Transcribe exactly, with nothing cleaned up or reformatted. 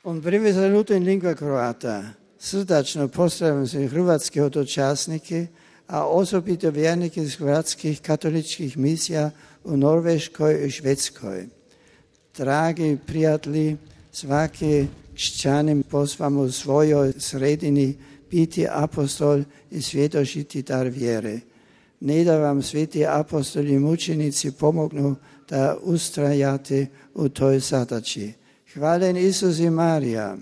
On privezanuto in lingua croata. Srdačno pozdravljam sve hrvatske hodočasnike, a osobito vjernike iz hrvatskih katoličkih misija u Norveškoj i Švedskoj. Dragi prijatelji, svaki kšćanin pozvam u svojoj sredini biti apostol i svjedočiti dar vjere. Ne da vam sveti apostoli i mučenici pomognu da ustrajate u toj zadaći. Hvala Isus i Marija.